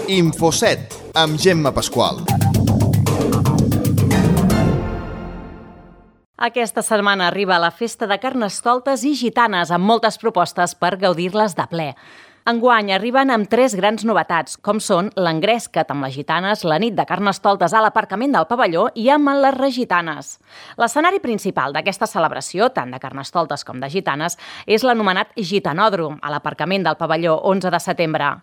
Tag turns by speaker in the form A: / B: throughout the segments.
A: Infoset, amb Gemma Pasqual.
B: Aquesta setmana arriba la festa de Carnestoltes i Gitanes, amb moltes propostes per gaudir-les de ple. Enguany arriben amb 3 grans novetats, com són l'Engresca't amb les Gitanes, la nit de Carnestoltes a l'aparcament del pavelló i amb les Regitanes. L'escenari principal d'aquesta celebració, tant de Carnestoltes com de Gitanes, és l'anomenat Gitanòdrom, a l'aparcament del pavelló 11 de setembre.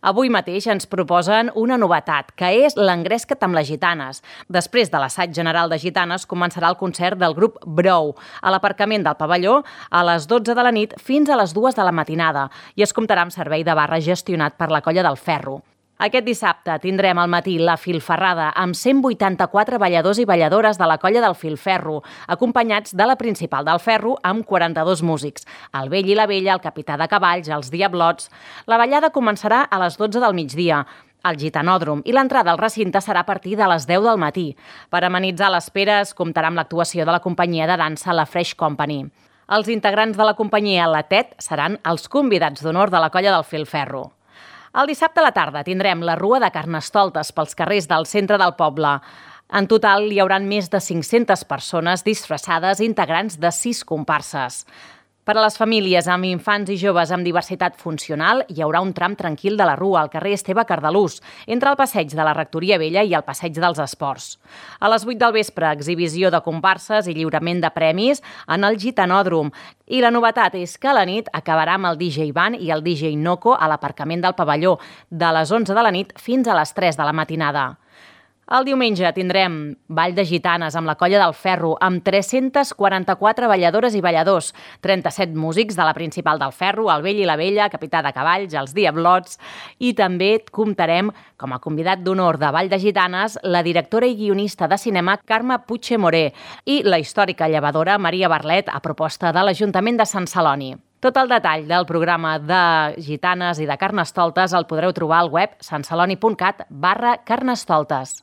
B: Avui mateix ens proposen una novetat, que és l'Engresca't amb les Gitanes. Després de l'assaig general de Gitanes començarà el concert del grup Brou a l'aparcament del pavelló a les 12 de la nit fins a les 2 de la matinada i es comptarà amb servei de barra gestionat per la Colla del Ferro. Aquest dissabte tindrem al matí la filferrada amb 184 balladors i balladores de la Colla del Filferro, acompanyats de la principal del Ferro amb 42 músics, el vell i la vella, el capità de cavalls, els diablots. La ballada començarà a les 12 del migdia, al Gitanòdrom, i l'entrada al recinte serà a partir de les 10 del matí. Per amenitzar l'espera es comptarà amb l'actuació de la companyia de dansa La Fresh Company. Els integrants de la companyia La Tet seran els convidats d'honor de la Colla del Filferro. El dissabte a la tarda tindrem la Rua de Carnestoltes pels carrers del centre del poble. En total hi haurà més de 500 persones disfressades integrants de 6 comparses. Per a les famílies amb infants i joves amb diversitat funcional hi haurà un tram tranquil de la Rua al carrer Esteve Cardalús, entre el passeig de la Rectoria Vella i el passeig dels Esports. A les 8 del vespre, exhibició de comparses i lliurament de premis en el Gitanòdrom. I la novetat és que a la nit acabarà amb el DJ Van i el DJ Noco a l'aparcament del pavelló, de les 11 de la nit fins a les 3 de la matinada. El diumenge tindrem Ball de Gitanes amb la Colla del Ferro, amb 344 balladores i balladors, 37 músics de la principal del Ferro, el vell i la vella, capità de cavalls, els diablots, i també comptarem com a convidat d'honor de Ball de Gitanes la directora i guionista de cinema Carme Puigdemoré i la històrica llevadora Maria Barlet a proposta de l'Ajuntament de Sant Celoni. Tot el detall del programa de Gitanes i de Carnestoltes el podreu trobar al web santceloni.cat/Carnestoltes.